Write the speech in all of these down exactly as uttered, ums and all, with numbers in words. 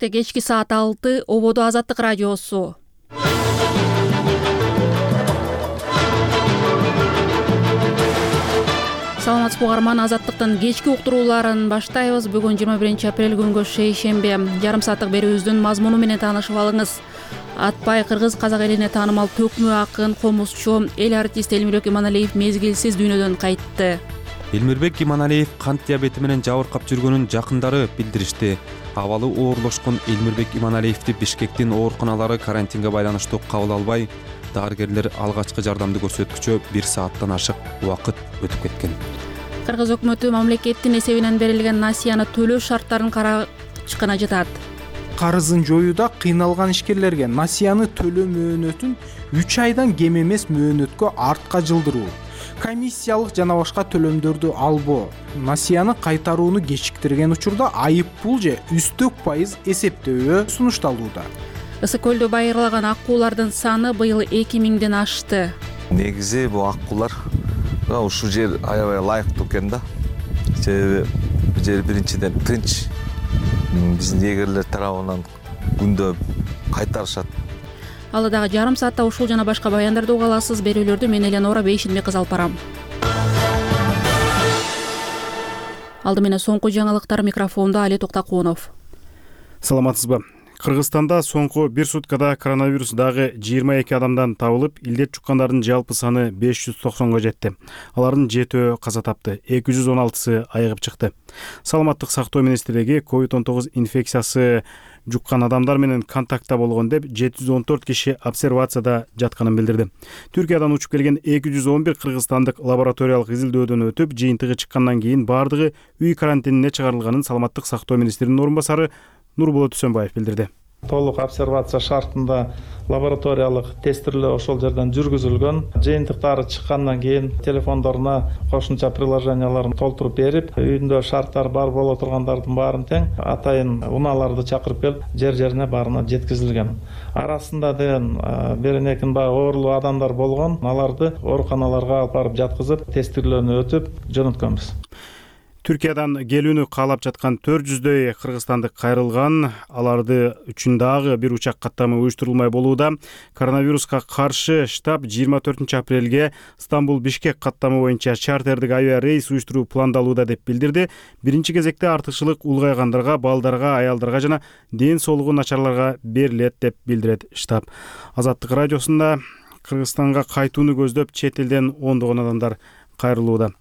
Бишкекте кечки саат алты, ободо Азаттык радиосу. Саламатсызбы угарман, Азаттыктын кечки уктурууларын баштайбыз. Бүгүн жыйырма биринчи апрель күнгө шейшембе. Жарым сааттык берүүбүздүн мазмуну менен таанышып алыңыз. Атпай кыргыз казак элине таанымал төкмө акын, комузчу, эл артист Элмирбек Иманалиев мезгилсиз дүйнөдөн кайтты. Элмирбек Иманалиев кант диабети менен жабыркап жүргөнүн жакындары билдиришти. Абалы оорлошкон Элмирбек Иманалиевди Бишкектин ооруканалары карантинге байланыштуу кабыл албай, дарыгерлер алгачкы жардамды көрсөткүчө бир сааттан ашык убакыт өтүп кеткен. Кыргыз өкмөтү мамлекеттин эсебинен берилген насыяны төлөө шарттарын карачкына жатат. Карызын жоюуда кыйналган ишкерлерге насыяны төлөө мөөнөтүн үч айдан кем эмес мөөнөткө артка жылдыруу, комиссиялык жана башка төлөмдөрдү албоо, насыяны кайтарууну кечиктирген учурда айып пул же үстөк пайыз эсептөө сунушталууда. Ысык көлдө байырлаган аккуулардын саны быйыл эки миңден ашты. Негизи бул аккууларга ушул жер аябай ылайыктуу экен да. Себеби бул жер биринчиден тынч, биздин эгерлер тарабынан күндө кайтарышат. Алы дагы жарым саатта ушул жана башка баяндарды уга аласыз. Берүүлөрдү мен Эленора Бейшинбек кыз алып барам. Алды менен соңку жаңылыктар, микрофондо Али Токтакунов. Саламатсызбы? Кыргызстанда соңку бир суткада коронавирус дагы жыйырма эки адамдан табылып, илдет жуккандардын жалпы саны беш жүз токсонго жетти. Алардын жетөө каза тапты, эки жүз он алтысы айыгып чыкты. Саламаттык сактоо министрлиги ковид он тогуз инфекциясы жуккан адамдар менен контактта болгон деп жети жүз он төрт киши обсервацияда жатканын билдирди. Түркиядан учуп келген эки жүз он бир кыргызстандык лабораториялык изилдөөдөн өтүп, жыйынтыгы чыккандан кийин бардыгы үй карантинине чыгарылганын Саламаттык сактоо министринин орун басары Нурболот Үсөнбаев билдирди. Толук обсервация шартында лабораториялык тестирлөө ошол жерден жүргүзүлгөн. Жыйынтыктары чыккандан кийин телефондоруна кошумча приложенияларын толтуруп берип, үйүндө шарттар бар боло тургандардын баарын тең атайын унааларды чакырып келип, жер жерине баарына жеткизилген. Арасында деген бир экин бай оорулуу адамдар болгон. Аларды ооруканаларга алып барып жаткызып, тестирлөөнү өтүп жөнөткөнбүз. Түркиядан келүүнү каалап жаткан төрт жүздөй кыргызстандык кайрылган. Аларды үчүн дагы бир учак каттамы уюштурулмай болууда. Коронавируска каршы штаб жыйырма төртүнчү апрелге Стамбул-Бишкек каттамы боюнча чартердик авиа рейс уюштуруу пландалууда деп билдирди. Биринчи кезекте артыкчылык улгайгандарга, балдарга, аялдарга жана ден соолугу начарларга берилет деп билдирет штаб. Азаттык радиосунда Кыргызстанга кайтууну көздөп чет элден ондогон адамдар кайрылууда.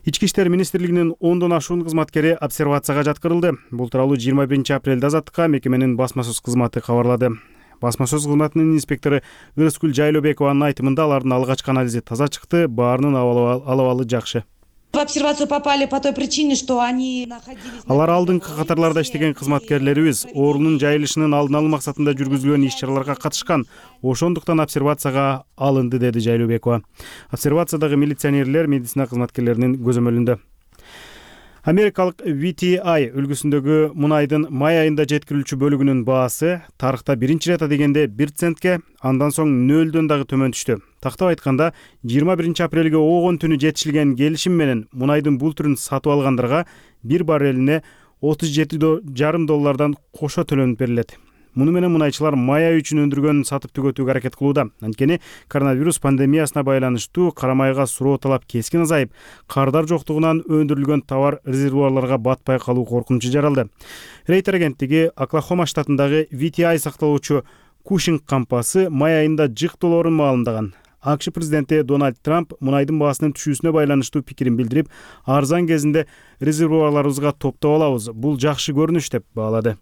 Ички иштер министрлигинин ондон ашуун кызматкери обсервацияга жаткырылды. Бул тууралуу жыйырма биринчи апрелде Азаттыкка мекеменин басма сөз кызматы кабарлады. Басма сөз кызматынын инспектору Ырыскүл Жайлообекованын айтымында алардын алгачкы анализи таза чыкты, баарынын алабалы жакшы. В обсервацию попали по той причине, что они находились... Алар алдыңкы катарларда иштеген кызматкерлерибиз оорунун жайылышынын алдын алуу максатында жүргүзүлгөн иш-чараларга катышкан. Ошондуктан обсервацияга алынды, деди Жайлообекова. Обсервациядагы милиционерлер медицина кызматкерлеринин көзөмөлүндө. Америкалык ви ти ай үлгүсүндөгү мунайдын май айында жеткирилүүчү бөлүгүнүн баасы тарыхта биринчи рет дегенде бир центке, андан соң нөлдөн дагы төмөн түштү. Тактап айтканда, жыйырма биринчи апрелге огон түнү жетишилген келишим менен мунайдын бул түрүн сатып алгандарга бир баррелине отуз жети жарым доллардан кошо төлөнүп берилет. Муну менен мунайчылар май айы үчүн өндүргөнүн сатып түгөтүүгө аракет кылууда. Анткени коронавирус пандемиясына байланыштуу кара майга суроо талап кескин азайып, кардар жоктугунан өндүрүлгөн товар резервуарларга батпай калуу коркунучу жаралды. Рейтер агенттиги Оклахома штатындагы ви ти ай сакталуучу Кушинг кампасы май айында жык долларын маалымдаган. АКШ президенти Дональд Трамп мунайдын баасынын түшүүсүнө байланыштуу пикирин билдирип, арзан кезинде резервуарларыбызга топтоп алабыз. Бул жакшы көрүнүш деп баалады.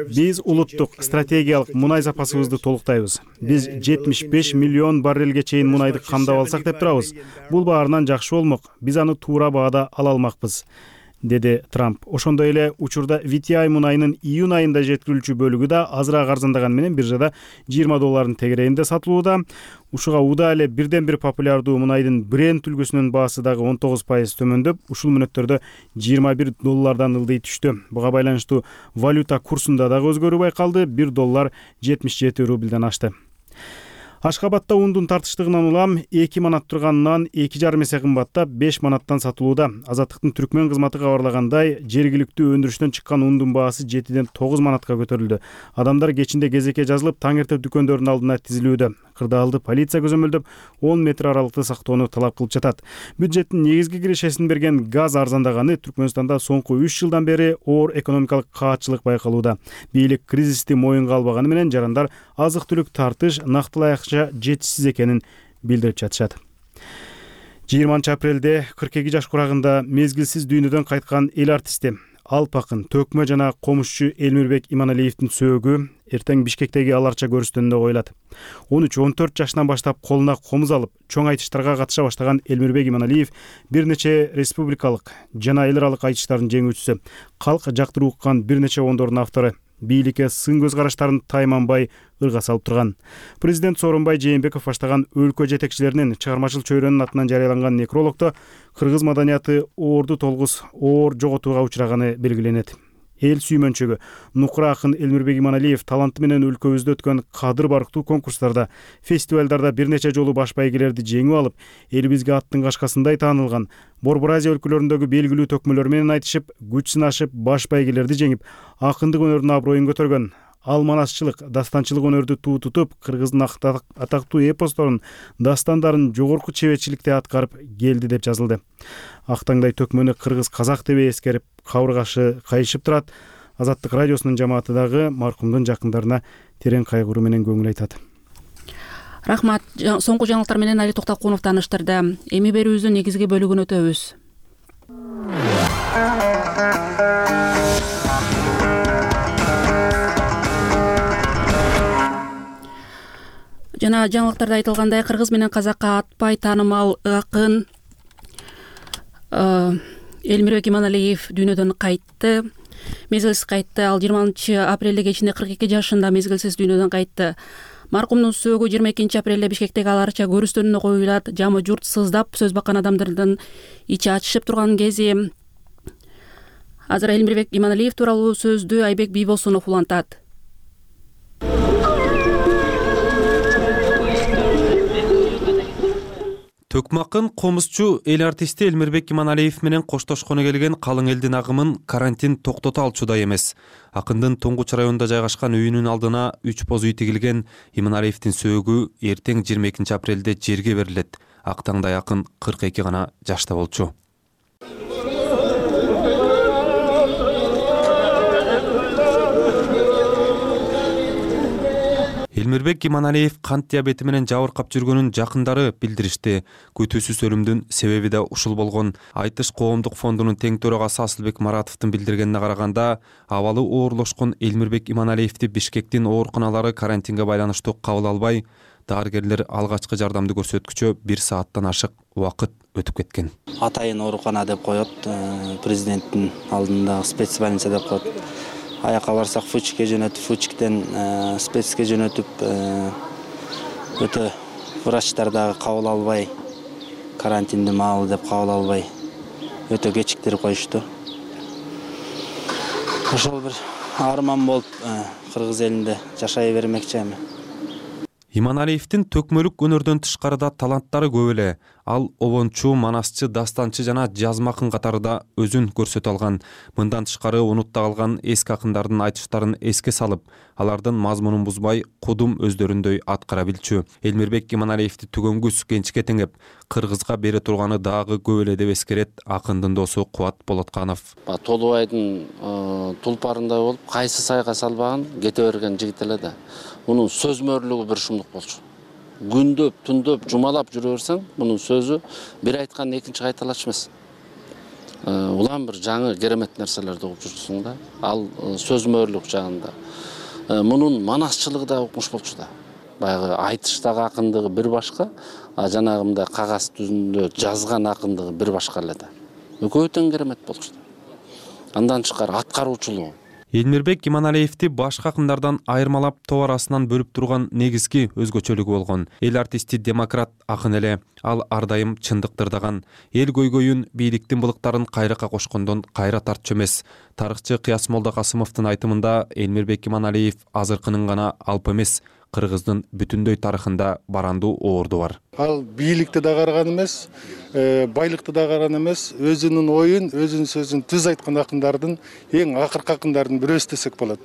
Биз улуттук стратегиялык мунай запасыбызды толуктайбыз. Биз жетимиш беш миллион баррелге чейин мунайды камдап алсак деп турабыз. Бул баарынан жакшы болмок. Биз аны туура баада ала алмакпыз, деди Трамп. Ошондой эле учурда ви ти ай мунайынын июнь айында жеткирилүүчү бөлүгү да азыраак арзандаган менен биржада жыйырма доллардын тегерегинде сатылууда. Ушуга уда эле бирден бир популярдуу мунайдын Brent үлгүсүнүн баасы дагы он тогуз пайыз төмөндөп, ушул мүнөттөрдө жыйырма бир доллардан ылдый түштү. Буга байланыштуу валюта курсунда дагы өзгөрүү байкалды. бир доллар жетимиш жети рубльден ашты. Ашкабадда ундун тартыштыгынан улам эки манат турган нан эки жарым эсе кымбаттап беш манаттан сатылууда. Азаттыктын түркмен кызматы кабарлагандай, жергиликтүү өндүрүштөн чыккан ундун баасы жетиден тогуз манатка көтөрүлдү. Адамдар кечинде кезекке жазылып, таң эрте дүкөндөрдүн алдына тизилүүдө. Кырдаалды полиция көзөмөлдөп, он метр аралыкты сактоону талап кылып жатат. Бюджеттин негизги кирешесин берген газ арзандаганы Түркмөнстанда соңку үч жылдан бери оор экономикалык каатчылык байкалууда. Бийлик кризисти моюнга албаганы менен жарандар азык-түлүк тартыш нактылайыкча жетишсиз экенин билдирип жатышат. жыйырманчы апрелде кырк эки жаш курагында мезгилсиз дүйнөдөн кайткан эл артисти, алп акын, төкмө жана комузчу Элмирбек Иманалиевдин сөөгү эртең Бишкектеги Ал Арча көрүстөнүндө коюлат. он үч он төрт жашынан баштап колуна комуз алып, чоң айтыштарга катыша баштаган Элмирбек Иманалиев бир нече республикалык жана эл аралык айтыштардын жеңүүчүсү, калк жактыруу уккан бир нече ондордун автору. Бийликке сын көз караштарын тайманбай ырга салып турган. Президент Сооронбай Жээнбеков баштаган өлкө жетекчилеринин чыгармачыл чөйрөнүн атынан жарыяланган некрологдо кыргыз маданияты оорду толгус оор жоготууга учураганы белгиленет. Эл сүймөнчөгү нукура акын Элмирбек Иманалиев таланты менен өлкөбүздө өткөн кадыр барктуу конкурстарда, фестивалдарда бир нече жолу баш байгелерди жеңип алып, элибизге аттын кашкасындай таанылган. Борбор Азия өлкөлөрүндөгү белгилүү төкмөлөр менен айтышып, күч сынашып, баш байгелерди жеңип, акындык өнөрдүн аброюн көтөргөн. Ал манасчылык, дастанчылык өнөрдү туу тутуп, кыргыздын атактуу эпосторун, дастандарын жогорку чеберчиликте аткарып келди деп жазылды. Актаңдай төкмөнү кыргыз казак деп эскерип, кабыргашы кайышып турат. Азаттык радиосунун жамааты дагы маркумдун жакындарына терең кайгыруу менен көңүл айтат. Рахмат. Соңку жаңылыктар менен Али Токтокунов тааныштырды. Эми берүүбүздүн негизги бөлүгүн өтөбүз. Жана жаңылыктарда айтылгандай, кыргыз менен казакка атпай таанымал акын Элмирбек Иманалиев дүйнөдөн кайтты. Мезгилсиз кайтты. Ал жыйырманчы апрелде кечинде кырк эки жашында мезгилсиз дүйнөдөн кайтты. Маркумдун сөөгү жыйырма экинчи апрелде Бишкектеги Ал Арча көрүстөнүнө коюлат. Жамы журт сыздап, сөз баккан адамдардын ичи ачышып турган кези. Азыр Элмирбек Иманалиев тууралуу сөздү Айбек Бийбосунов улантат. Төкмө акын, комузчу, эл артисти Элмирбек Иманалиев менен коштошконо келген калың элдин агымын карантин токтото алчудай эмес. Акындын Туңгуч районунда жайгашкан үйүнүн алдына үч боз үй тигилген. Иманалиевдин сөөгү эртең жыйырма экинчи апрелде жерге берилет. Актаңдай акын кырк эки гана жашта болчу. Элмирбек Иманалиев кант диабети менен жабыркап жүргөнүн жакындары билдиришти. Күтүүсүз өлүмдүн себеби да ушул болгон. Айтыш коомдук фондунун тең төрагасы Асылбек Маратовдун билдиргенине караганда, абалы оорлошкон Элмирбек Иманалиевди Бишкектин ооруканалары карантинге байланыштуу кабыл албай, дарыгерлер алгачкы жардамды көрсөткүчө бир сааттан ашык убакыт өтүп кеткен. Атайын оорукана деп коет, президенттин алдында спецбольница деп коет. Аяка барсак Фучикке жөнөтүп, Фучиктен спецке жөнөтүп, өтө врачтар дагы кабыл албай, карантинди маалы деп кабыл албай, өтө кечиктирип коюшту. Ошол бир арман болуп кыргыз элинде жашай бермекчи эми. Иманалиевдин төкмөлүк өнөрдөн тышкарыда таланттары көп эле. Ал обончу, манасчы, дастанчы жана жазма акын катарында өзүн көрсөтө алган. Мындан тышкары унутта калган эски акындардын айтыштарын эске салып, алардын мазмунун бузбай, кудум өздөрүндөй аткара билчү. Элмирбек Иманалиевди түгөнгүс кенчке теңеп, кыргызга бере турганы дагы көп эле деп эскерет акындын досу Кубат Болотканов. Толубайдын тулпарындай болуп, кайсы сайга салбаган кете берген жигит эле да. Мунун сөз мөрлүгү бир шумдук болчу. Күндөп, түндөп, жумалап жүрө берсең, мунун сөзү бир айткан экинчи кайталаш эмес. Улам бир жаңы керемет нерселерди угуп жүрсүң да. Ал сөз мөрлүк жагында. Мунун манасчылыгы да укмуш болчу да. Баягы айтыштагы акындыгы бир башка, а жанагымда кагаз түзүндө жазган акындыгы бир башка эле да. Экөө тең керемет болчу да. Андан тышкары аткаруучулугу. Элмирбек Иманалиевди башка акындардан айырмалап топ арасынан бөлүп турган негизги өзгөчөлүгү болгон. Эл артисти демократ акын эле. Ал ар дайым чындык тырдаган. Эл көйгөйүн, бийликтин былыктарын кайракка кошкондон кайра тартчу эмес. Тарыхчы Кыяс Молдокасымовдун айтымында Элмирбек Иманалиев азыркынын гана алп эмес, Кыргыздын бүтүндөй тарыхында барандуу орду бар. Ал бийликти да караган эмес, байлыкты да караган эмес, өзүнүн оюн, өзүнүн сөзүн түз айткан акындардын эң акыркы акындардын бирөөсү десек болот.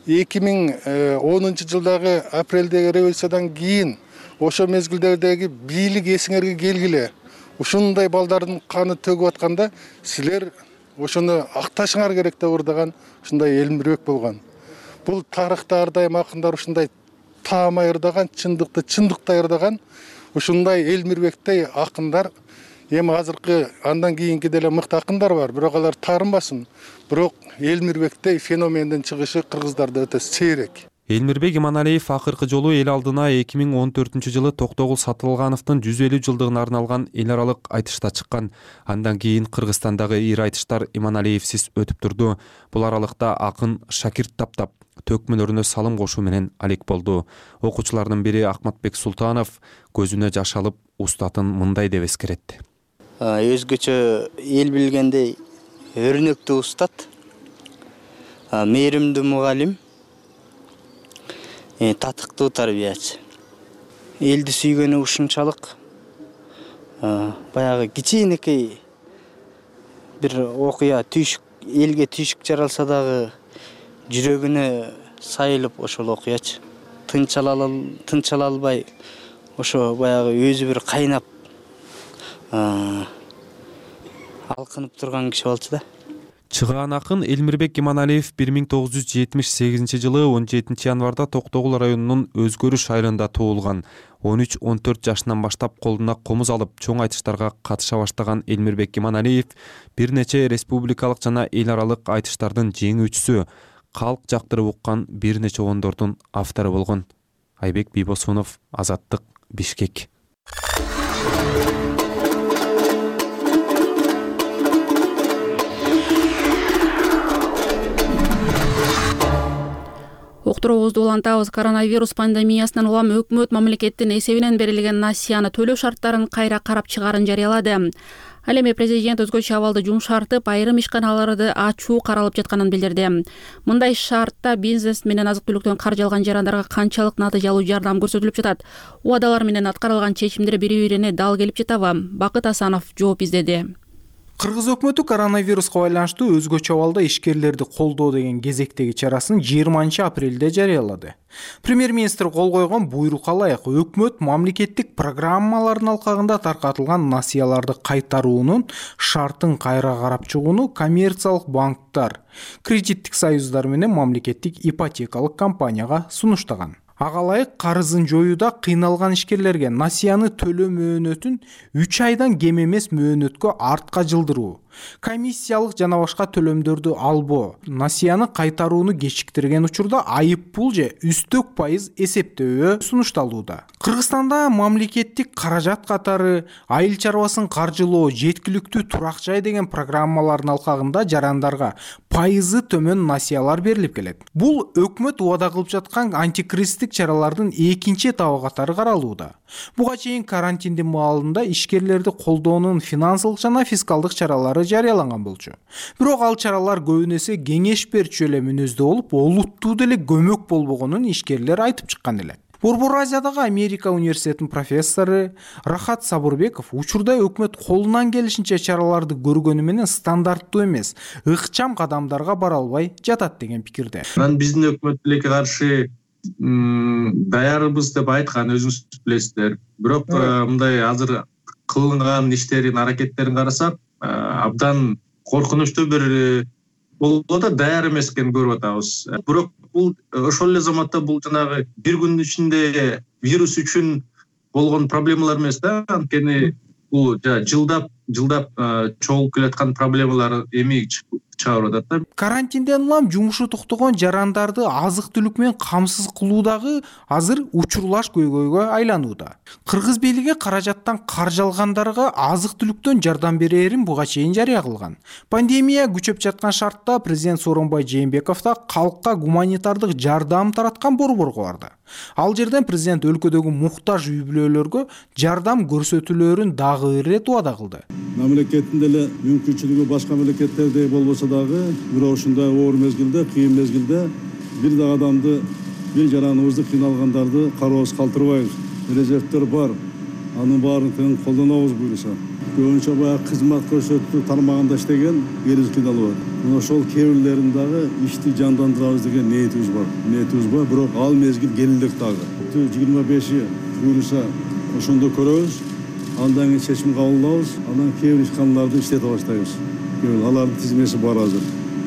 эки миң онунчу жылдагы апрелдеги революциядан кийин ошо мезгилдердеги бийлик эсиңерге келгиле. Ушундай балдардын каны төгүп атканда силер ошону акташыңар керек деп ырдаган ушундай Элмирбек болгон. Бул тарыхта ар дайым акындар ушундай таамай ырдаган, чындыкты чындыктай ырдаган ушундай Элмирбектей акындар эми азыркы андан кийинки деле мыкты акындар бар, бирок алар таарынбасын. Бирок Элмирбектей феномендин чыгышы кыргыздарда өтө сейрек. Элмирбек Иманалиев акыркы жолу эл алдына эки миң он төртүнчү жылы Токтогул Сатылгановдун жүз элүү жылдыгына арналган эл аралык айтышта чыккан. Андан кийин Кыргызстандагы ир айтыштар Иманалиевсиз өтүп турду. Бул аралыкта акын шакирт таптап, төкмөлөрүнө салым кошуу менен алек болду. Окуучулардын бири Акматбек Султанов көзүнө жаш алып устатын мындай деп эскеретти. Өзгөчө эл билгендей өрнөктүү устат, мээримдүү мугалим, татыктуу тарбиячы. Элди сүйгөнү ушунчалык баягы кичинекей бир окуя түйшүк, элге түйшүк жаралса дагы жүрөгүнө сайылып ошол окуячы. Тынчала албай ошо баягы өзү бир кайнап алкынып турган киши болчу да. Чыгаан акын Элмирбек Иманалиев бир миң тогуз жүз жетимиш сегизинчи жылы он жетинчи январда Токтогул районунун Өзгөрүш айылында туулган. он үч он төрт жашынан баштап колуна комуз алып чоң айтыштарга катыша баштаган Элмирбек Иманалиев бир нече республикалык жана эл аралык айтыштардын жеңүүчүсү, калк жактырып уккан бир нече ондордун автору болгон. Айбек Бийбосунов, Азаттык, Бишкек. Уктуруубузду улантабыз. Коронавирус пандемиясынан улам өкмөт мамлекеттин эсебинен берилген насыяны төлөө шарттарын кайра карап чыгаарын жарыялады. Ал эми президент өзгөчө абалды жумшартып, айрым ишканаларды ачуу каралып жатканын билдирди. Мындай шартта бизнес менен азык-түлүктөн каржы алган жарандарга канчалык натыйжалуу жардам көрсөтүлүп жатат? Убадалар менен аткарылган чечимдер бири-бирине дал келип жатабы? Бакыт Асанов жооп издеди. Кыргыз өкмөтү коронавируска байланыштуу өзгөчө абалда ишкерлерди колдоо деген кезектеги чарасын жыйырманчы апрелде жарыялады. Премьер-министр кол койгон буйрукка ылайык өкмөт мамлекеттик программалардын алкагында таркатылган насыяларды кайтаруунун шартын кайра карап чыгууну коммерциялык банктар, кредиттик союздар менен мамлекеттик ипотекалык компанияга сунуштаган. Ага ылайык карызын жоюуда кыйналган ишкерлерге насыяны төлөө мөөнөтүн үч айдан кем эмес мөөнөткө артка жылдыруу, комиссиялык жана башка төлөмдөрдү албоо, насыяны кайтарууну кечиктирген учурда айып пул же үстөк пайыз эсептөө сунушталууда. Кыргызстанда мамлекеттик каражат катары айыл чарбасын каржылоо, жеткиликтүү турак жай деген программалардын алкагында жарандарга пайызы төмөн насыялар берилип келет. Бул өкмөт убада кылып жаткан антикризистик чаралардын экинчи этабы катары каралууда. Буга чейин карантиндин маалында ишкерлерди колдоонун финансылык жана фискалдык чаралары жарыяланган болчу. Бирок ал чаралар көбүн эсе кеңеш берчү эле мүнөздө болуп, олуттуу деле көмөк болбогонун ишкерлер айтып чыккан эле. Борбор Азиядагы Америка университетинин профессору Рахат Сабырбеков учурда өкмөт колунан келишинче чараларды көргөнү менен стандарттуу эмес, ыкчам кадамдарга бара албай жатат деген пикирде. Мен биздин өкмөт тилекке каршы даярбыз деп айткан, өзүңүз билесиздер. Бирок мындай азыр кылынган иштерин, аракеттерин карасак, абдан коркунучтуу бир болуп атат, даяр эмес экенин көрүп атабыз. Бирок бул ошол эле заматта бул жанагы бир күндүн ичинде вирус үчүн болгон проблемалар эмес да, анткени бул жылдап жылдап чогулуп келаткан проблемалар эми чыгарып атат да. Карантинден улам жумушу токтогон жарандарды азык-түлүк менен камсыз кылуудагы азыр учурлаш көйгөйгө айланууда. Кыргыз бийлиги каражаттан каржы алгандарга азык-түлүктөн жардам берерин буга чейин жарыя кылган. Пандемия күчөп жаткан шартта президент Сооронбай Жээнбеков да калкка гуманитардык жардам тараткан борборго барды. Ал жерден президент өлкөдөгү муктаж үй-бүлөлөргө жардам көрсөтүүлөрүн дагы ирет убада кылды. Мамлекеттин деле мүмкүнчүлүгү башка мамлекеттердей болбосо дагы, бирок ушундай оор мезгилде, кыйын мезгилде бир да адамды эл жараныбызды кыйналгандарды кароосуз калтырбайбыз. Резервдер бар, анын баарын тең колдонобуз буюрса. Көбүнчө баягы кызмат көрсөтүү тармагында иштеген элибиз кыйналып атат. Мына ошол кээ бирлерин дагы ишти жандандырабыз деген ниетибиз бар. Ниетибиз бар, бирок ал мезгил келилдик дагы. жыйырма беши буюрса ошондо көрөбүз. Андан кийин чечим кабыл алабыз. Анан кээ бир ишканаларды иштете баштайбыз. Алардын тизмеси бар азыр.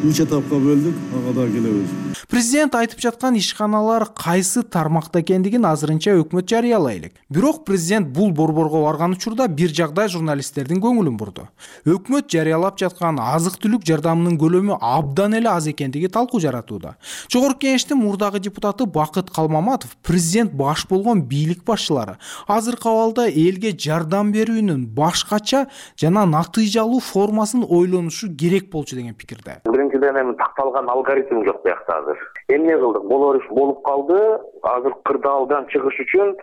Үч этапка бөлдүк, ага да келебиз. Президент айтып жаткан ишканалар кайсы тармакта экендигин азырынча өкмөт жарыялай элек. Бирок президент бул борборго барган учурда бир жагдай журналисттердин көңүлүн бурду. Өкмөт жарыялап жаткан азык-түлүк жардамынын көлөмү абдан эле аз экендиги талкуу жаратууда. Жогорку Кеңештин мурдагы депутаты Бакыт Калмаматов президент баш болгон бийлик башчылары азыркы абалда элге жардам берүүнүн башкача жана натыйжалуу формасын ойлонушу керек болчу деген пикирде. Биринчиден эми такталган алгоритм жок биякта азыр. Эмне кылдык? Болор иш болуп калды. Азыр кырдаалдан чыгыш үчүн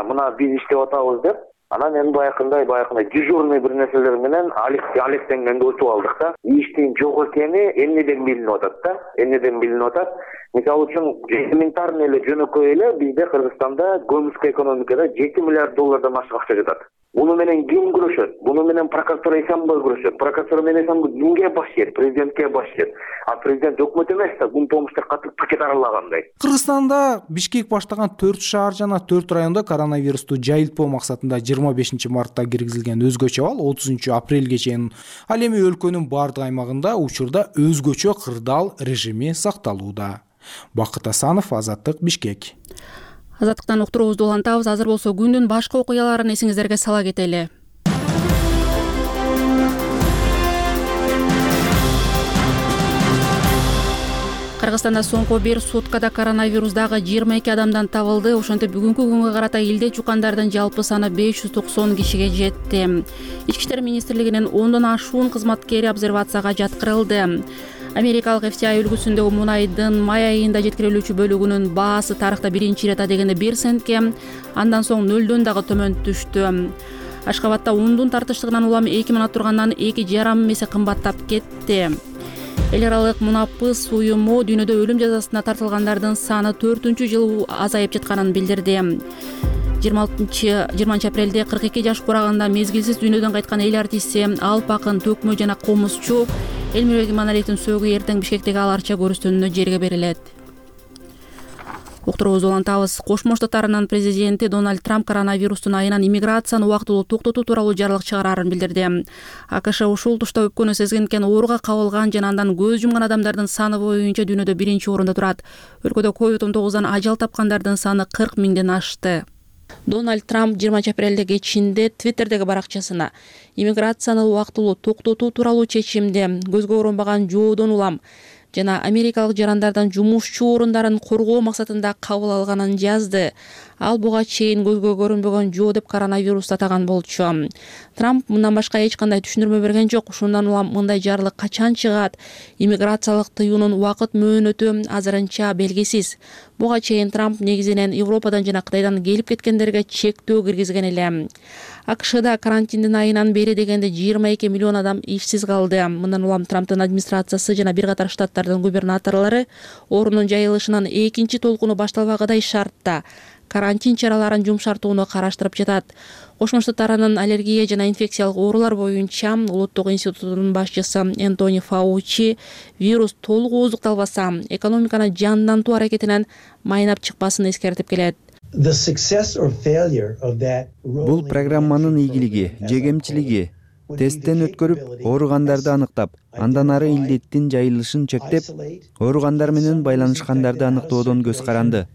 мына биз иштеп атабыз деп, анан эми баягындай баягындай дежурный бир нерселер менен алектенгенде өтүп алдык да. Иштин жок экени эмнеден билинип атат да? Эмнеден билинип атат? Мисалы үчүн элементарный эле жөнөкөй эле бизде Кыргызстанда көмүскө экономикада жети миллиард доллардан ашык акча жатат. Буну менен ким күрөшөт? Буну менен прокуратура Эсенбой күрөшөт. Прокуратура менен Эсенбой кимге баш ийет? Президентке баш ийет. А президент өкмөт эмес да, бул помуштар катып пакет аралагандай. Кыргызстанда Бишкек баштаган төрт шаар жана төрт райондо коронавирусту жайылтпоо максатында жыйырма бешинчи мартта киргизилген өзгөчө абал отузунчу апрелге чейин ал эми өлкөнүн бардык аймагында учурда өзгөчө кырдаал режими сакталууда. Бакыт Асанов, Азаттык, Бишкек. Азаттыктан уктуруубузду улантабыз. Азыр болсо күндүн башка окуяларын эсиңиздерге сала кетели. Кыргызстанда соңку бир суткада коронавирусдагы жыйырма эки адамдан табылды. Ошентип бүгүнкү күнгө карата элде чукандардын жалпы саны беш жүз токсон кишиге жетти. Ички иштер министрлигинин ондон ашуун кызматкери обсервацияга жаткырылды. Америкалык эф ти ай үлгүсүндөгү мунайдын май айында жеткирилүүчү бөлүгүнүн баасы тарыхта биринчи ирет дегенде бир центке, андан соң нөлдөн дагы төмөн түштү. Ашкабадда ундун тартыштыгынан улам эки миңнат тургандан эки жарым эсе кымбаттап кетти. Эл аралык мунапыс уюму дүйнөдө өлүм жазасына тартылгандардын саны төртүнчү жыл азайып жатканын билдирди. жыйырма алтынчы жыйырманчы апрелде кырк эки жаш курагында мезгилсиз дүйнөдөн кайткан эл артисти, алп акын, төкмө жана комузчу Элмирбек Иманалиевдин сөөгү эртең Бишкектеги аларча көрүстөнүнө жерге берилет. Уктуруубузду улантабыз. Кошмо Штаттарынын президенти Дональд Трамп коронавирустун айынан иммиграцияны убактылуу токтотуу тууралуу жарлык чыгарарын билдирди. АКШ ушул тушта өпкөнү сезгенден ооруга кабылган жана андан көз жумган адамдардын саны боюнча дүйнөдө биринчи орунда турат. Өлкөдө ковид он тогуздан ажал тапкандардын саны кырк миңден ашты. Дональд Трамп жыйырманчы апрелде кечинде Твиттердеги баракчасына иммиграцияны убактылуу токтотуу тууралуу чечимди көзгө көрүнбөгөн жоодон улам жана америкалык жарандардан жумушчу орундарын коргоо максатында кабыл алганын жазды. Ал буга чейин көзгө көрүнбөгөн жоо деп коронавирусту атаган болчу. Трамп мындан башка эч кандай түшүндүрмө берген жок. Ушундан улам мындай жарлык качан чыгат? Иммиграциялык тыюунун убакыт мөөнөтү азырынча белгисиз. Буга чейин Трамп негизинен Европадан жана Кытайдан келип кеткендерге чектөө киргизген эле. АКШда карантиндин айынан бери дегенде жыйырма эки миллион адам ишсиз калды. Мындан улам Трамптын администрациясы жана бир катар штаттардын губернаторлору оорунун жайылышынын экинчи толкуну башталбагыдай шартта карантин чараларын жумшартууну караштырып жатат. Кошмо Штаттарынын аллергия жана инфекциялык оорулар боюнча улуттук институтунун башчысы Энтони Фаучи вирус толук ооздукталбаса, экономиканы жандантуу аракетинен майнап чыкпасын эскертип келет. Бул программанын ийгилиги же кемчилиги тесттен өткөрүп, ооругандарды аныктап, андан ары илдеттин жайылышын чектеп, ооругандар менен байланышкандарды аныктоодон көз каранды.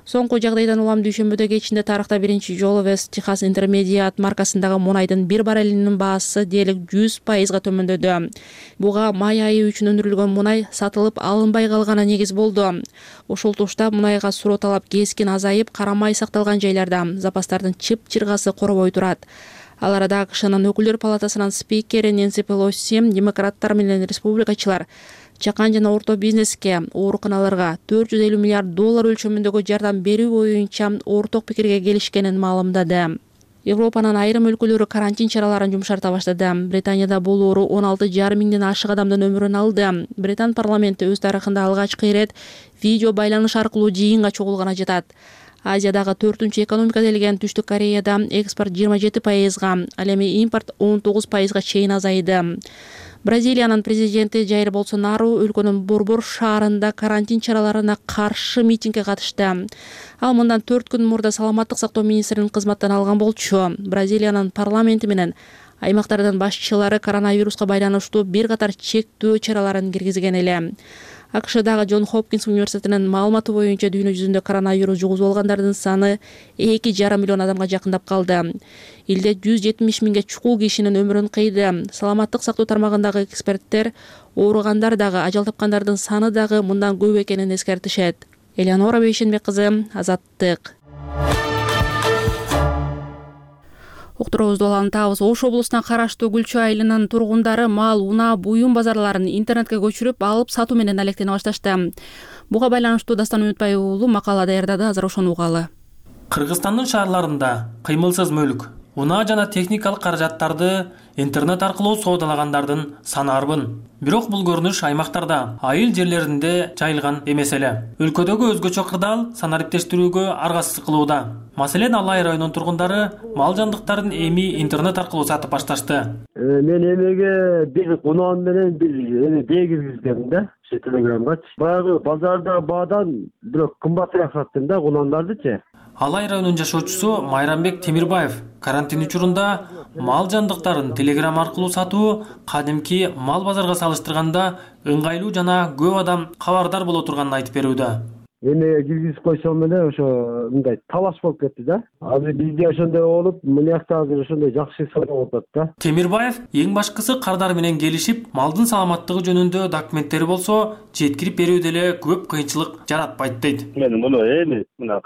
Соңку жагдайдан улам дүйшөмбүдө кечинде тарыхта биринчи жолу West Texas Intermediate маркасындагы мунайдын бир баррелинин баасы дээрлик жүз пайызга төмөндөдү. Буга май айы үчүн өндүрүлгөн мунай сатылып алынбай калганы негиз болду. Ушул тушта мунайга суроо талап кескин азайып, карамай сакталган жайларда запастардын чып-чыргасы коробой турат. Ал арада АКШнын өкүлдөр палатасынын спикери Нэнси Пелоси демократтар менен республикачылар чакан жана орто бизнеске, ооруканаларга төрт жүз элүү миллиард доллар өлчөмүндөгү жардам берүү боюнча орток пикирге келишкенин маалымдады. Европанын айрым өлкөлөрү карантин чараларын жумшарта баштады. Британияда бул оору он алты жарым миңден ашык адамдын өмүрүн алды. Британ парламенти өз тарыхында алгачкы ирет видео байланыш аркылуу жыйынга чогулганы жатат. Азиядагы төртүнчү экономика делген Түштүк Кореяда экспорт жыйырма жети пайызга, ал эми импорт он тогуз пайызга чейин азайды. Бразилиянын президенти Жаир Болсонару өлкөнүн Борбор шаарында карантин чараларына каршы митингге катышты. Ал мындан төрт күн мурда саламаттык сактоо министринин кызматтан алган болчу. Бразилиянын парламенти менен аймактардын башчылары коронавируска байланыштуу бир катар чектөө чараларын киргизген эле. АКШдагы Джон Хопкинс университетинин маалыматы боюнча дүйнө жүзүндө коронавирус жугузуп алгандардын саны эки жарым миллион адамга жакындап калды. Элде жүз жетимиш миңге чукул кишинин өмүрүн кыйды. Саламаттык сактоо тармагындагы эксперттер ооругандар дагы, ажал тапкандардын саны дагы мындан көп экенин эскертишет. Элеонора Бейшенбек кызы, Азаттык. Уктуруубузду улантабыз. Ош облусуна караштуу Гүлчү айылынын тургундары мал, унаа, буюм базарларын интернетке көчүрүп, алып сатуу менен алектене башташты. Буга байланыштуу Дастан Үмүтбай уулу макала даярдады, азыр ошону угалы. Кыргызстандын шаарларында кыймылсыз мүлк, унаа жана техникалык каражаттарды интернет аркылуу соодалагандардын саны арбын. Бирок бул көрүнүш аймактарда, айыл жерлеринде жайылган эмес эле. Өлкөдөгү өзгөчө кырдаал санариптештирүүгө аргасыз кылууда. Маселен, Алай районунун тургундары мал жандыктарын эми интернет аркылуу сатып башташты. Мен эмеге бир унаан менен бир эме бегизгем да, телеграмгачы. Баягы базарда баадан бирок кымбатыраак саттым да унаандардычы. Алай районунун жашоочусу Майрамбек Темирбаев карантин учурунда мал жандыктарын телеграм аркылуу сатуу кадимки мал базарга салыштырганда ыңгайлуу жана көп адам кабардар боло турганын айтып берүүдө. Эмеге киргизип койсом эле ошо мындай талаш болуп кетти да. Азыр бизде ошондой болуп, мынакта азыр ошондой жакшы соода болуп атат да. Темирбаев эң башкысы кардар менен келишип, малдын саламаттыгы жөнүндө документтери болсо, жеткирип берүүдө эле көп кыйынчылык жаратпайт дейт. Мен муну эми мына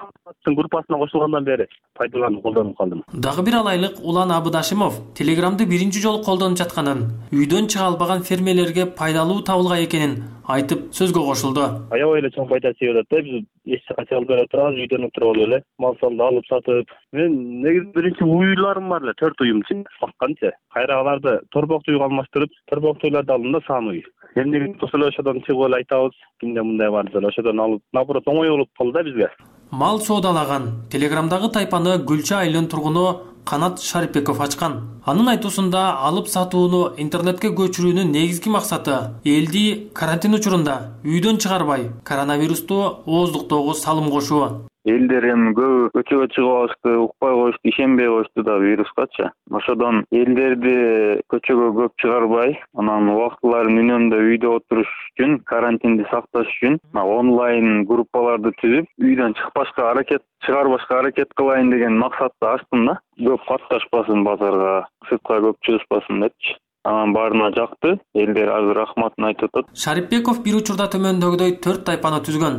группасына кошулгандан бери пайдаланып колдонуп калдым. Дагы бир алайлык Улан Абыдашимов телеграмды биринчи жолу колдонуп жатканын, үйдөн чыга албаган фермерлерге пайдалуу табылган экенин айтып сөзгө кошулду. Аябай эле чоң пайда тийип атат да. Биз эч жака чыга албай турабыз, үйдөн отуруп эле мал салды алып сатып. Мен негизи биринчи уйларым бар эле, төрт уюмчу бакканчы. Кайра аларды торбок үйгө алмаштырып, торбок үйлөрдү алдым да сан уй. Эмне болсо ошодон чыгып эле айтабыз, кимде мындай бар деп ошодон алып, наоборот оңой болуп калды да бизге. Мал соодалаган телеграмдагы тайпаны Гүлчү айылынын тургуну Канат Шарипбеков ачкан. Анын айтуусунда алып сатууну интернетке көчүрүүнүн негизги максаты элди карантин учурунда үйдөн чыгарбай коронавирусту ооздуктоого салым кошуу. Элдер эми көбү көчөгө чыгып алышты, укпай коюшту, ишенбей коюшту да вирускачы. Ошодон элдерди көчөгө көп чыгарбай, анан убактыларын үнөмдө үйдө отуруш үчүн, карантинди сакташ үчүн онлайн группаларды түзүп, үйдөн чыкпашка аракет, чыгарбашка аракет кылайын деген максатты ачтым да. Көп катташпасын базарга, сыртка көп чыгышпасын депчи. Анан баарына жакты, элдер азыр рахматын айтып атат. Шарипбеков бир учурда төмөндөгүдөй төрт тайпаны түзгөн.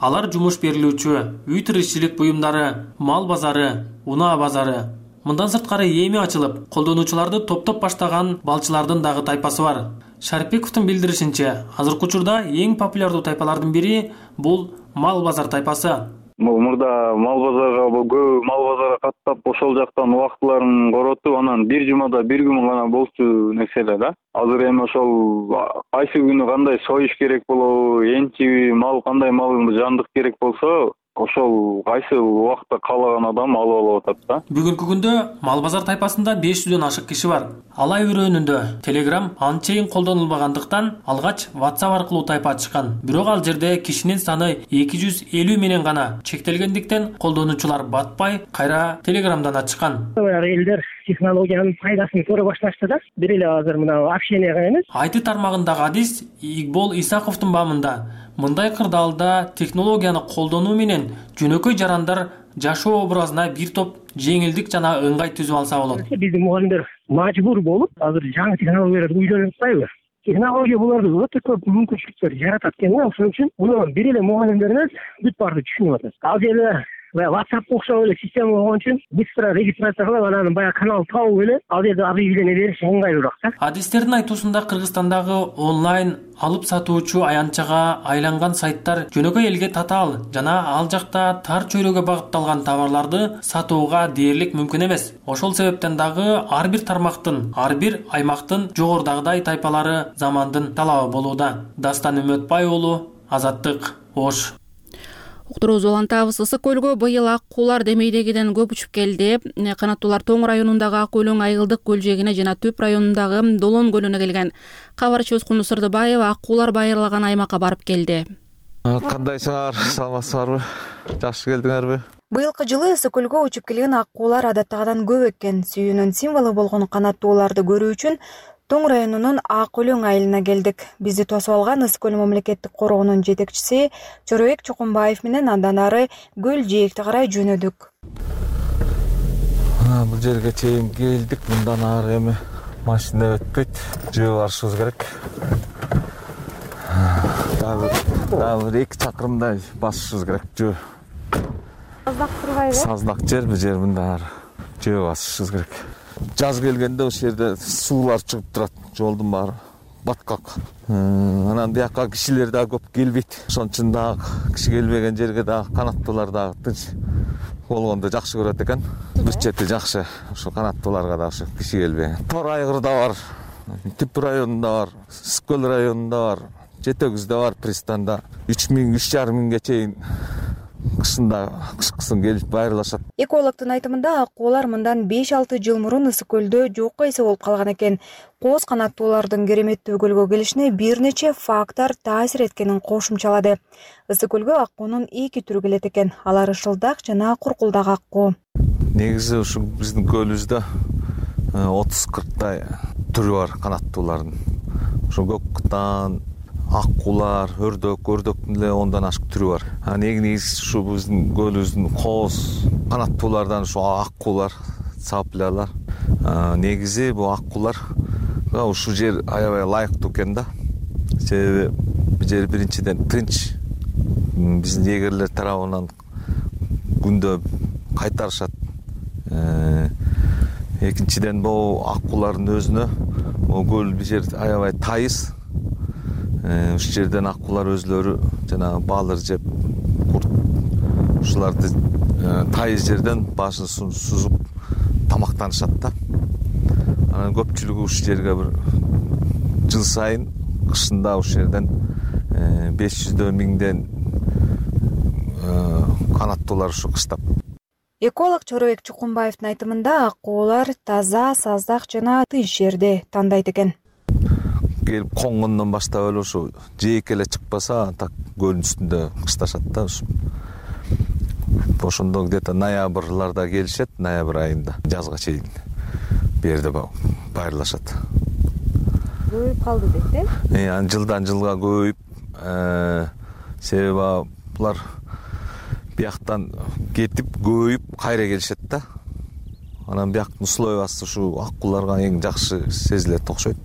Алар жумуш берилүүчү, үй тиричилик буюмдары, мал базары, унаа базары. Мындан сырткары эми ачылып, колдонуучуларды топтоп баштаган балчылардын дагы тайпасы бар. Шарипбековдун билдиришинче, азыркы учурда эң популярдуу тайпалардын бири бул мал базар тайпасы. Мурда мал базарга көп мал базарга каттап, ошол жактан убактыларын коротуп, анан бир жумада бир күн гана болчу нерселер да. Азыр эми ошол кайсы күнү кандай союш керек болобу, энчи мал кандай мал жандык керек болсо, ошол кайсы убакта каалаган адам алып алып атат да. Бүгүнкү күндө мал базар тайпасында беш жүздөн ашык киши бар. Алай өрөөнүндө Telegram анчейин колдонулбагандыктан алгач WhatsApp аркылуу тайпа ачышкан. Бирок ал жерде кишинин саны эки жүз элүү менен гана чектелгендиктен колдонуучулар батпай кайра Telegramдан ачышкан. Элдер технологиянын пайдасын көрө башташты да. Бир эле азыр мына общенияга эмес. Айты тармагындагы адис Игбол Исаковдун бамында мындай кырдаалда технологияны колдонуу менен жөнөкөй жарандар жашоо образына бир топ жеңилдик жана ыңгай түзүп алса болот. Биздин мугалимдер мажбур болуп, азыр жаңы технологияларды үйрөнүп атпайбы? Технология буларды өтө көп мүмкүнчүлүктөр жаратат экен да. Ошон үчүн муну бир эле мугалимдер эмес, бүт баарды түшүнүп атат. Ал жерде баягы WhatsApp окшоп эле система болгон үчүн быстро регистрация кылып анан баягы канал табып эле ал жерде объявление бериш ыңгайлуураак да. Адистердин айтуусунда Кыргызстандагы онлайн алып сатуучу аянтчага айланган сайттар жөнөкөй элге татаал жана ал жакта тар чөйрөгө багытталган товарларды сатууга дээрлик мүмкүн эмес. Ошол себептен дагы ар бир тармактын, ар бир аймактын жогорудагыдай тайпалары замандын талабы болууда. Дастан Үмөтбай уулу, Азаттык, Ош. Уктурубузду улантабыз. Ысык көлгө быйыл ак куулар демейдегиден көп учуп келди. Канаттуулар Тоң районундагы Ак Өлөң Айылдык көл жээгине жана Түп районундагы Долон көлүнө келген. Кабарчыбыз Кунду Сырдыбаева ак куулар байырлаган аймакка барып келди. Кандайсыңар? Саламатсыздарбы? Жакшы келдиңерби? Быйылкы жылы ысык көлгө учуп келген ак куулар адаттагыдан көп экен. Сүйүүнүн символу болгон канаттууларды көрүү үчүн Тоң районунун Ак Өлөң айылына келдик. Бизди тосуп алган Ысык көл мамлекеттик коргоонун жетекчиси Чорбек Чокумбаев менен андан ары көл жээкти карай жөнөдүк. Бул жерге чейин келдик. Мындан ары эми машина өтпөйт. Жөө барышыбыз керек. Дагы дагы эки чакырымдай басышыбыз керек жөө. Саздак турбайбы? Саздак жер бул жер, мындан ары жөө басышыбыз керек. Жаз келгенде ошол жерде суулар чыгып турат, жолдун баары баткак. Анан бияка кишилер да көп келбейт. Ошон үчүн дагы киши келбеген жерге дагы канаттуулар дагы тынч болгондо жакшы көрөт экен. Бир чети жакшы, ошо канаттууларга да ошо киши келбеген. Тор айгырда бар, Түп районунда бар, Ысык көл районунда бар, Жети өгүздө бар, пристанда үч миң, үч жарым миңге чейин кышында кышкысын келип байырлашат. Экологдун айтымында ак куулар мындан беш алты жыл мурун Ысык көлдө жокко эсе болуп калган экен. Кооз канаттуулардын кереметтүү көлгө келишине бир нече фактор таасир эткенин кошумчалады. Ысык көлгө аккуунун эки түрү келет экен. Алар ышылдак жана куркулдак аккуу. Негизи ушу биздин көлүбүздө отуз кырктай түрү бар канаттуулардын. Ошо көк кытан, аккуулар, өрдөк, өрдөктүн эле ондан ашык түрү бар. Негизи ушу биздин көлүбүздүн кооз канаттуулардан ушу аккуулар, цаплялар. Негизи бул аккуулар ушул жер аябай ылайыктуу экен да. Себеби бул жер биринчиден тынч, биздин эгерлер тарабынан күндө кайтарышат. Экинчиден бул аккуулардын өзүнө көл бул жер аябай тайыз. Ушул жерден аккуулар өзлөрү жана балыр жеп, курт ушуларды тайыз жерден башын сузуп тамактанышат да. Анан көпчүлүгү ушул жерге бир жыл сайын кышында ушул жерден беш жүздөр миңден канаттуулар ушу кыштап. Эколог Чорбек Чукумбаевдин айтымында ак куулар таза, саздак жана тынч жерди тандайт экен. Келип коңгондон баштап эле ушу жээкке эле чыкпаса, так көлдүн үстүндө кышташат да. Ошондо где-то ноябрларда келишет, ноябрь айында жазга чейин берде байырлашат. Көбөйүп калды дейт э? Анан жылдан жылга көбөйүп, себеби булар бияктан кетип көбөйүп кайра келишет да. Анан бияктын условиясы ушу аккууларга эң жакшы сезилет окшойт.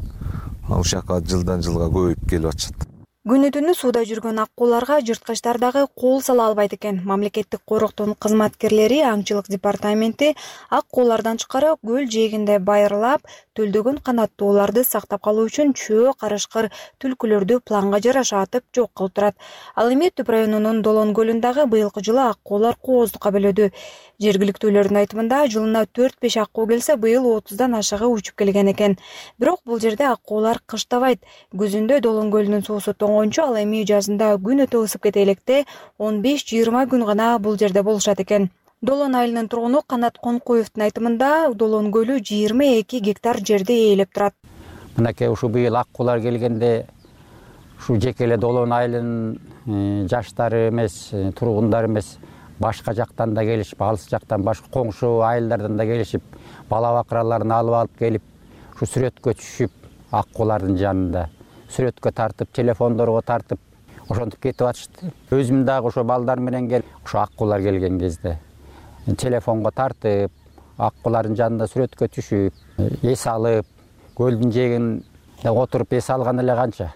Ушул жака жылдан жылга көбөйүп келип атышат. Күнү түнү сууда жүргөн аккууларга жырткычтар дагы кол сала албайт экен. Мамлекеттик коргоктун кызматкерлери аңчылык департаменти аккуулардан тышкары көл жээгинде байырлап, төлдөгөн канаттууларды сактап калуу үчүн чөө, карышкыр, түлкүлөрдү планга жараша атып жок кылып турат. Ал эми Түп районунун Долон көлүндагы быйылкы жылы аккуулар кооздукка бөлөдү. Жергиликтүүлөрдүн айтымында жылына төрт беш аккуу келсе, быйыл отуздан ашыгы учуп келген экен. Бирок бул жерде аккуулар кыштабайт. Күзүндө Долон көлүнүн суусу тоңгончу, ал эми жазында күн өтө ысып кете электе он беш жыйырма күн гана бул жерде болушат экен. Долон айылынын тургуну Канат Конкуевдин айтымында Долон көлү жыйырма эки гектар жерди ээлеп турат. Мынакей ушу быйыл аккуулар келгенде ушу жеке эле Долон айылынын жаштары эмес, тургундары эмес, башка жактан да келишип, алыс жактан башка коңшу айылдардан да келишип, бала бакыраларын алып алып келип, ушу сүрөткө түшүп, аккуулардын жанында сүрөткө тартып, телефондорго тартып, ошентип кетип атышты. Өзүм дагы ошо балдар менен келип, ошо аккуулар келген кезде телефонго тартып, аккуулардын жанында сүрөткө түшүп, эс алып, көлдүн жээгинде отуруп эс алган эле канча.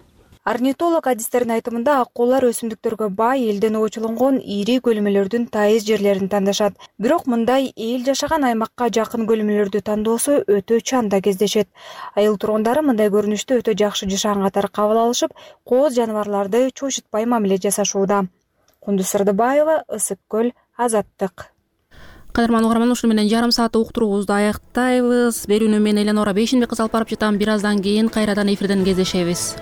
Орнитолог адистердин айтымында аккуулар өсүмдүктөргө бай элден оочуланган ири көлмөлөрдүн тайыз жерлерин тандашат. Бирок мындай эл жашаган аймакка жакын көлмөлөрдү тандоосу өтө чанда кездешет. Айыл тургундары мындай көрүнүштү өтө жакшы жашаган катары кабыл алышып, кооз жаныбарларды чочутпай мамиле жасашууда. Кундуз Сырдыбаева, Ысык көл, Азаттык. Кадырман угарман, ушуну менен жарым саат уктуруубузду аяктайбыз. Берүүнү мен Эленора Бейшенбек кыз алып барып жатам. Бир аздан кийин кайрадан эфирден кездешебиз.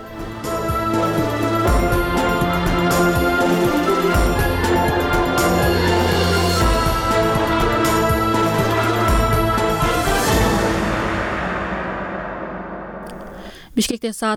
Бишкекте саат